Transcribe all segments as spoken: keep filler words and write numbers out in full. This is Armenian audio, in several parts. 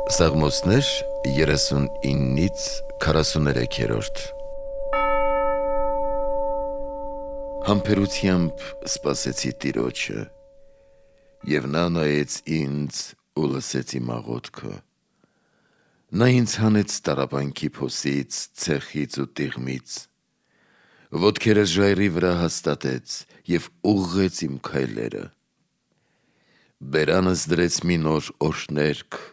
Սաղմոսներ երեսունինից քառասուներեքերորդ Համբերությամբ սպասեցի Տիրոջը, և նա նայեց ինձ ու լսեց իմ աղոթքը։ Նա ինձ հանեց տառապանքի փոսից, ցեխից ու տիղմից, ոտքերս ժայռի վրա հաստատեց և ուղղեց իմ քայլերը։ Բերանս դրեց մի նոր օրհներգ,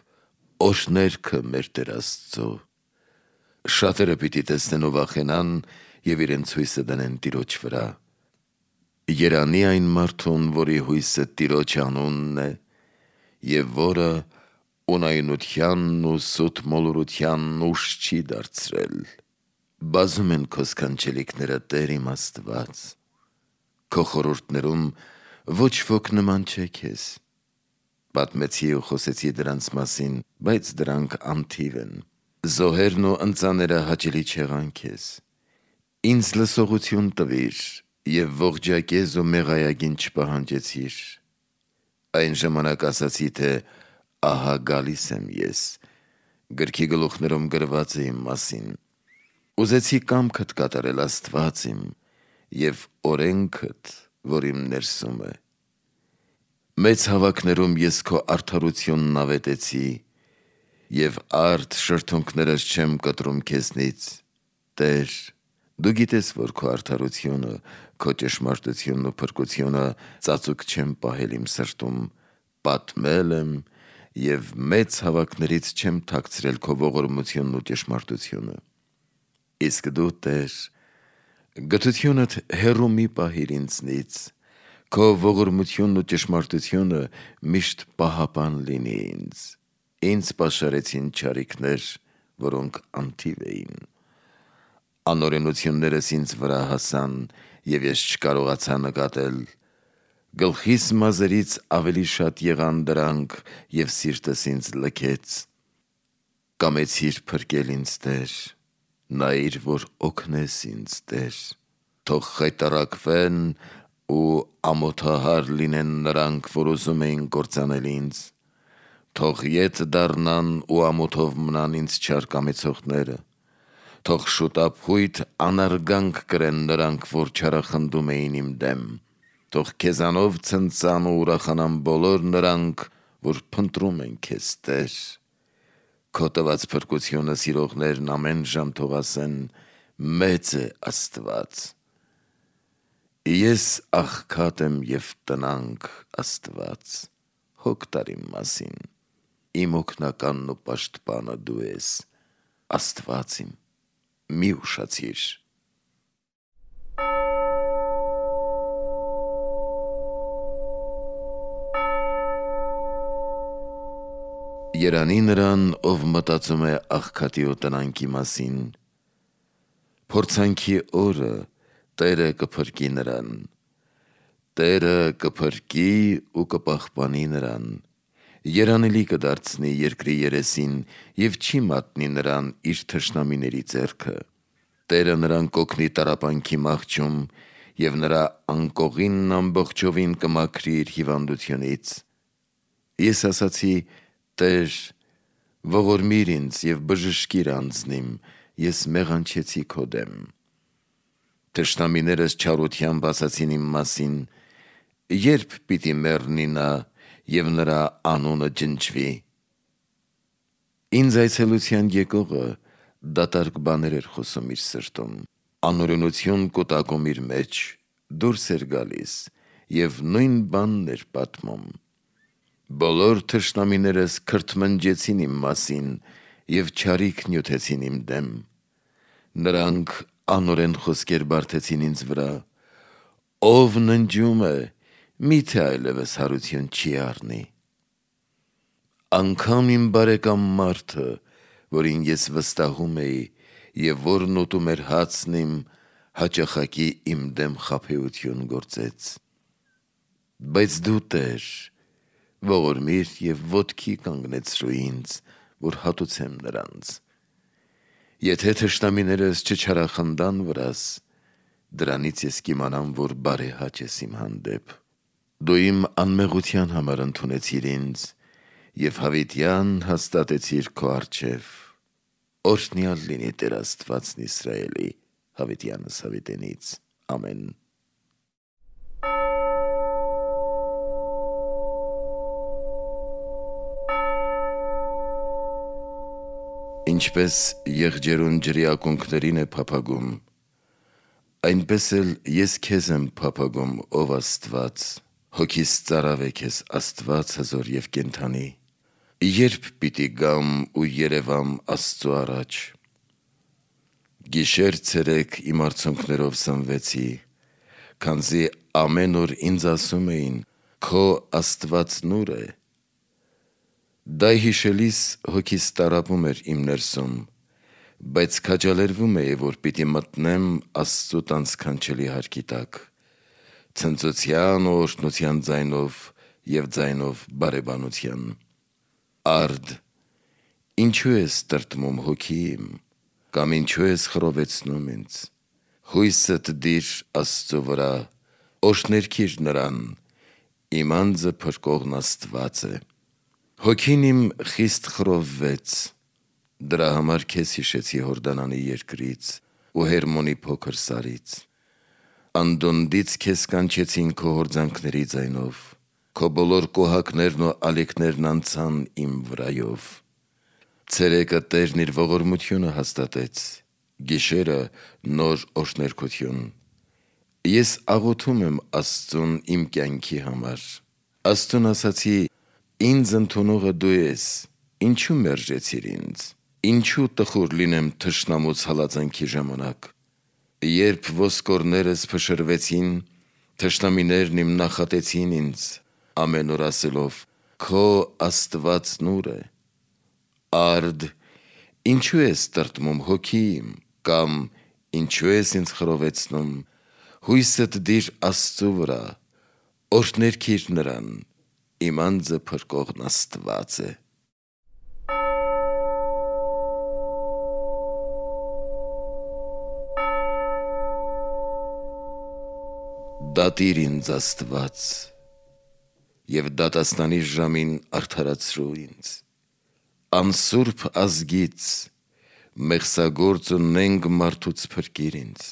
օրհներգը մեր Տեր Աստծո։ Շատերը պիտի տեսնեն ու վախենան և իրենց հույսը դնեն Տիրոջ վրա։ Երանի այն մարդուն, որի հույսը Տիրոջ անունն է, և որը ունայնությանն ու սուտ մոլորությանն ուժ չի դարձրել։ Բազում են քո սքանչելիքները, Տեր իմ Աստված, քո խորհուրդներում ոչ ոք նման չէ քեզ։ Պատմեցի ու խոսեցի դրանց մասին, բայց դրանք անթիվ են։ Զոհերն ու ընծաները հաճելի չեղան քեզ։ Ինձ լսողություն տվիր և ողջակեզ ու մեղայագին չպահանջեցիր։ Այն ժամանակ ասացի, թե ահա գալիս եմ ես, գրքի գլուխներում գրված է իմ մասին։ Ուզեցի կամքդ կատարել, Աստված իմ, և օրենքդ, որ իմ ներսում է։ Մեծ հավաքներում ես քո արդարությունն ավետեցի, և արդ շրթունքներս չեմ կտրում քեզնից։ Տեր, դու գիտես, որ քո արդարությունը, քո ճշմարտությունն ու փրկությունը ծածուկ չեմ պահել իմ սրտում, պատմել եմ և մեծ հավաքներից չեմ թաքցրել քո ողորմությունն ու ճշմարտությունը։ Իսկ դու, Տեր, գթությունդ հեռու մի պահիր ինձնից, քո ողորմությունն ու ճշմարտությունը միշտ պահապան լինի ինձ։ Ինձ պաշարեցին չարիքներ, որոնք անթիվ էին։ Անօրենություններս ինձ վրա հասան, և ես չկարողացա նկատել։ Գլխիս մազերից ավելի շատ եղան դրանք, և սիրտս ինձ լքեց։ Կամեցիր փրկել ինձ, Տեր, նայիր, որ օգնես ինձ, Տեր։ Թող խայտառակվեն ու ամոթահար լինեն նրանք, որ ուզում էին կործանել ինձ։ Թող ետ դառնան ու ամոթով մնան ինձ չար կամեցողները։ Թող շուտափույթ անարգանք կրեն նրանք, որ չարախնդում էին իմ դեմ։ Թող քեզանով ցնծան ու ուրախանան բոլոր նրանք, որ փնտրում են քեզ, Տեր։ Քո տված փրկությունը սիրողներն ամեն ժամ թող ասեն. «Մեծ է Աստված»։ Ես աղքատ եմ և տնանկ, Աստված, հոգ տար իմ մասին։ Իմ օգնականն ու պաշտպանը դու ես, Աստված իմ, մի ուշացիր։ Երանի նրան, ով մտածում է աղքատի ու տնանկի մասին։ Փորձանքի օրը Տերը կփրկի նրան։ Տերը կփրկի ու կպահպանի նրան, երանելի կդարձնի երկրի երեսին և չի մատնի նրան իր թշնամիների ձեռքը։ Տերը նրան կօգնի տառապանքի մահճում և նրա անկողինն ամբողջովին կմաքրի իր հիվանդությունից։ Ես ասացի. «Տեր, ողորմիր ինձ և բժշկիր անձն իմ, ես մեղանչեցի քո դեմ»։ Թշնամիներս չարությամբ ասացին իմ մասին. «Ե՞րբ պիտի մեռնի նա և նրա անունը ջնջվի»։ Ինձ այցելության եկողը դատարկ բաներ էր խոսում իր սրտում։ Անօրենություն կուտակում իր մեջ, դուրս էր գալիս և նույն բանն էր պատմում։ Բոլոր թշնամիներս քրթմնջեցին իմ մասին և չարիք նյութեցին իմ դեմ։ Նրանք անօրեն խոսքեր բարդեցին ինձ վրա. «Ով ննջում է, մի՞թե այլևս հարություն չի առնի»։ Անգամ իմ բարեկամ մարդը, որին ես վստահում էի և որն ուտում էր հացն իմ, հաճախակի իմ դեմ խաբեություն գործեց։ Բայց դու, Տեր, ողորմիր և ոտքի կանգնեցրու ինձ, որ հատուցեմ նրանց։ Եթե թշնամիներս չչարախնդան վրաս, դրանից ես կիմանամ, որ բարեհաճ ես իմ հանդեպ։ Դու իմ անմեղության համար ընդունեցիր ինձ և հավիտյան հաստատեցիր քո առջև։ Օրհնյալ լինի Տեր Աստվածն Իսրայելի, հավիտյանս հավիտենից։ Ամեն։ Ինչպես եղջերուն ջրի ակունքներին է փափագում, այնպես էլ ես քեզ եմ փափագում, ով Աստված, հոգիս ծարավ է քեզ Աստված հզոր և կենդանի։ Երբ պիտի գամ ու երևամ Աստծու առաջ։ Գիշեր ցերեկ իմ արցունքներով սնվեցի, քանզի ամեն օր ինձ ասում էին. «Քո Աստվածն ու՞ր է»։ Դա հիշելիս հոգիս տառապում էր իմ ներսում, բայց քաջալերվում էի, որ պիտի մտնեմ Աստծու տան սքանչելի հարկի տակ, ցնծության ու օրհնության ձայնով և ձայնով բարեբանության։ Արդ, ինչու ես տրտմում հոգի իմ, կամ ինչու ես խռովեցնում ինձ։ Հույսդ դիր Աստծու վրա, օրհներգիր նրան, իմ անձը փրկողն Աստված է։ Հոգին իմ խիստ խռովվեց, դրա համար քեզ հիշեցի Հորդանանի երկրից ու Հերմոնի փոքր սարից։ Անդունդից քեզ կանչեցին քո հորձանքների ձայնով, քո բոլոր կոհակներն ու ալիքներն անցան իմ վրայով։ Ցերեկը Տերն իր ողորմությունը հաստատեց, գիշերը նոր օրհներգություն։ Ես աղոթում եմ Աստծուն իմ կյանքի համար։ Աստծուն ասացի. «Ինձ ընդունողը դու ես, ինչու մերժեցիր ինձ, ինչու տխուր լինեմ թշնամուց հալածանքի ժամանակ։ Երբ ոսկորներս փշրվեցին, թշնամիներն իմ նախատեցին ինձ, ամեն օր ասելով. «Քո Աստվածն ու՞ր է»։ Արդ, ինչու ես տրտմում հոգի իմ, կամ ինչու ես ինձ խռովեցնում։ Հույսդ դիր Աստծու վրա, օրհներգիր նրան, իմ անձը փրկողն Աստված է։ Դատիր ինձ Աստված, և դատաստանի ժամին արդարացրու ինձ։ Անսուրբ ազգից, մեղսագործ ու նենգ մարդուց փրկիր ինձ։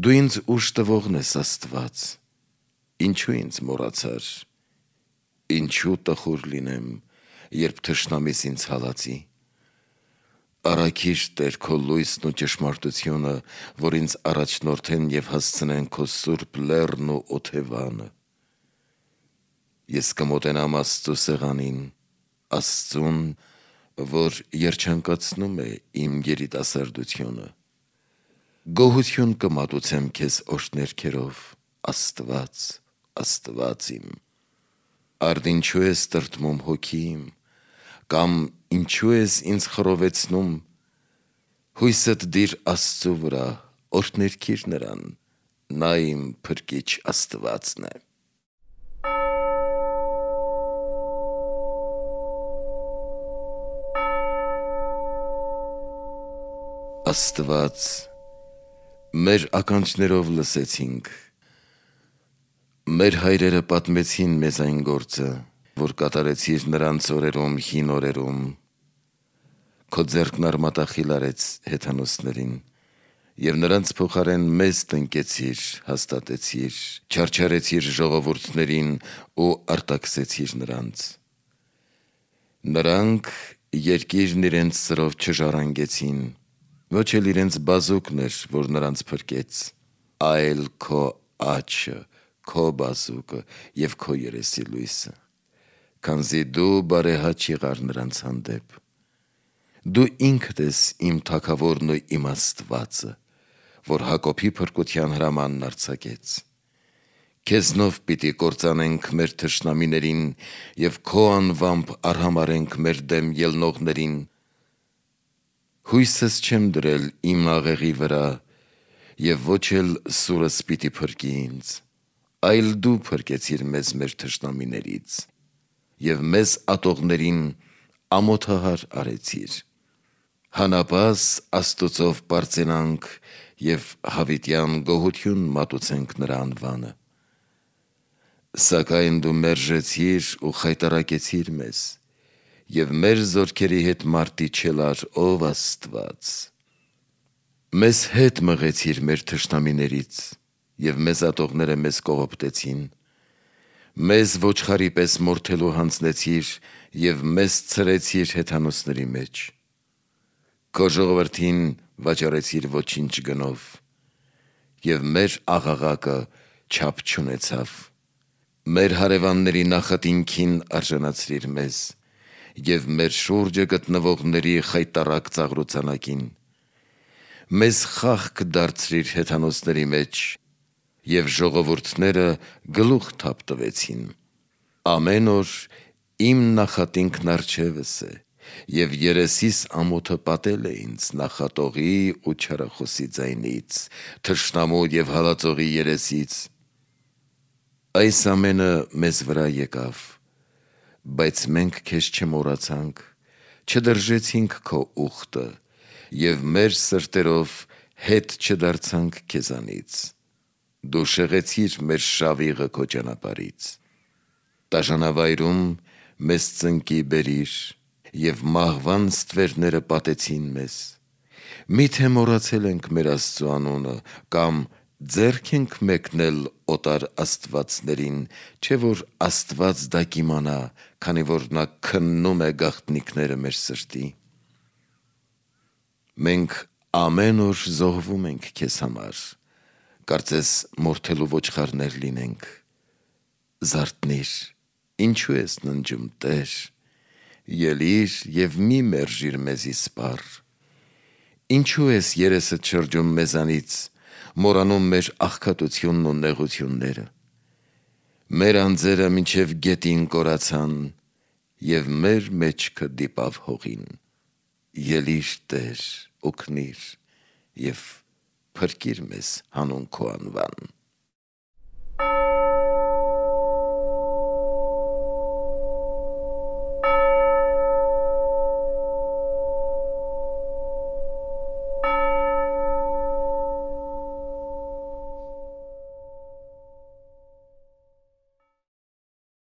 Դու ինձ ուժ տվողն ես Աստված, ինչու ինձ մոռացար։ Ինչու տխուր լինեմ, երբ թշնամիս ինձ հալածի։ Առաքիր Տեր քո լույսն ու ճշմարտությունը, որ ինձ առաջնորդեն և հասցնեն քո սուրբ լեռն ու օթևանը։ Ես կմոտենամ Աստծու սեղանին, Աստծուն, որ երջանկացնում է իմ երիտասարդությունը։ Գոհություն կմատուցեմ քեզ օրհներգերով, Աստված, Աստված իմ։ Արդ ինչու ես տրտմում հոգի իմ, կամ ինչու ես ինձ խռովեցնում։ Հույսդ դիր Աստծու վրա, օրհներգիր նրան, նա իմ փրկիչ Աստվածն է։ Աստված, մեր ականջներով լսեցինք, մեր հայրերը պատմեցին մեզ այն գործը, որ կատարեցիր նրանց օրերում հին օրերում։ Քո ձեռքն արմատախիլ արեց հեթանոսներին, և նրանց փոխարեն մեզ տնկեցիր, հաստատեցիր, չարչարեցիր ժողովուրդներին ու արտաքսեցիր նրանց։ Նրանք երկիրն իրենց սրով չժառանգեցին, ոչ էլ իրենց բազուկն էր, որ նրանց փրկեց, այլ քո աջը, քո բազուկը և քո երեսի լույսը, քանզի դու բարեհաճ եղար նրանց հանդեպ։ Դու ինքդ ես իմ թագավորն ու իմ Աստվածը, որ Հակոբի փրկության հրամանն արձակեց։ Քեզնով պիտի կործանենք մեր թշնամիներին և քո անվամբ արհամարհենք մեր դեմ ելնողներին։ Հույսս չեմ դրել իմ աղեղի վրա, և ոչ էլ սուրս պիտի փրկի ինձ, այլ դու փրկեցիր մեզ մեր թշնամիներից և մեզ ատողներին ամոթահար արեցիր։ Հանապազ Աստուծով պարծենանք և հավիտյան գոհություն մատուցենք նրա անվանը։ Սակայն դու մերժեցիր ու խայտառակեցիր մեզ և մեր զորքերի հետ մարտի չելար ով Աստված։ Մեզ հետ մղեցիր մեր թշնամիներից, և մեզ ատողները մեզ կողոպտեցին։ Մեզ ոչխարի պես մորթելու հանձնեցիր, և մեզ ցրեցիր հեթանոսների մեջ։ Քո ժողովրդին վաճառեցիր ոչինչ գնով, և մեր աղաղակը չափ չունեցավ։ Մեր հարևանների նախատինքին արժանացրիր մեզ, և մեր շուրջը գտնվողների խայտառակ ծաղրոցանակին։ Մեզ խաղք դարձրիր հեթանոսների մեջ, և ժողովուրդները գլուխ թափ տվեցին։ Ամեն օր իմ նախատինքն առջևս է, և երեսիս ամոթը պատել է ինձ նախատողի ու չարախոսի ձայնից, թշնամու և հալածողի երեսից։ Այս ամենը մեզ վրա եկավ, բայց մենք քեզ չմոռացանք, չդրժեցինք քո ուխտը, և մեր սրտերով հետ չդարձանք քեզանից։ Դու շեղեցիր մեր շավիղը քո ճանապարհից։ Դաժանավայրում մեզ ծնկի բերիր, և մահվան ստվերները պատեցին մեզ։ Մի՞թե մոռացել ենք մեր Աստծու անունը, կամ ձեռք ենք մեկնել օտար աստվածներին, չէ՞ որ Աստված դա կիմանա, քանի որ նա քննում է գաղտնիքները մեր սրտի։ Մենք ամեն օր զոհվում ենք քեզ համար, կարծես մորթելու ոչխարներ լինենք։ Զարթնի՛ր, ինչու ես ննջում, Տեր, ելի՛ր և մի մերժիր մեզի սպառ։ Ինչու ես երեսդ շրջում մեզանից, մոռանում մեր աղքատությունն ու նեղությունները։ Մեր անձերը մինչև գետին կորացան, և մեր մեջքը դիպավ հողին։ Ելի՛ր, Տեր, օգնի՛ր և փրկիր մեզ հանուն քո անվան։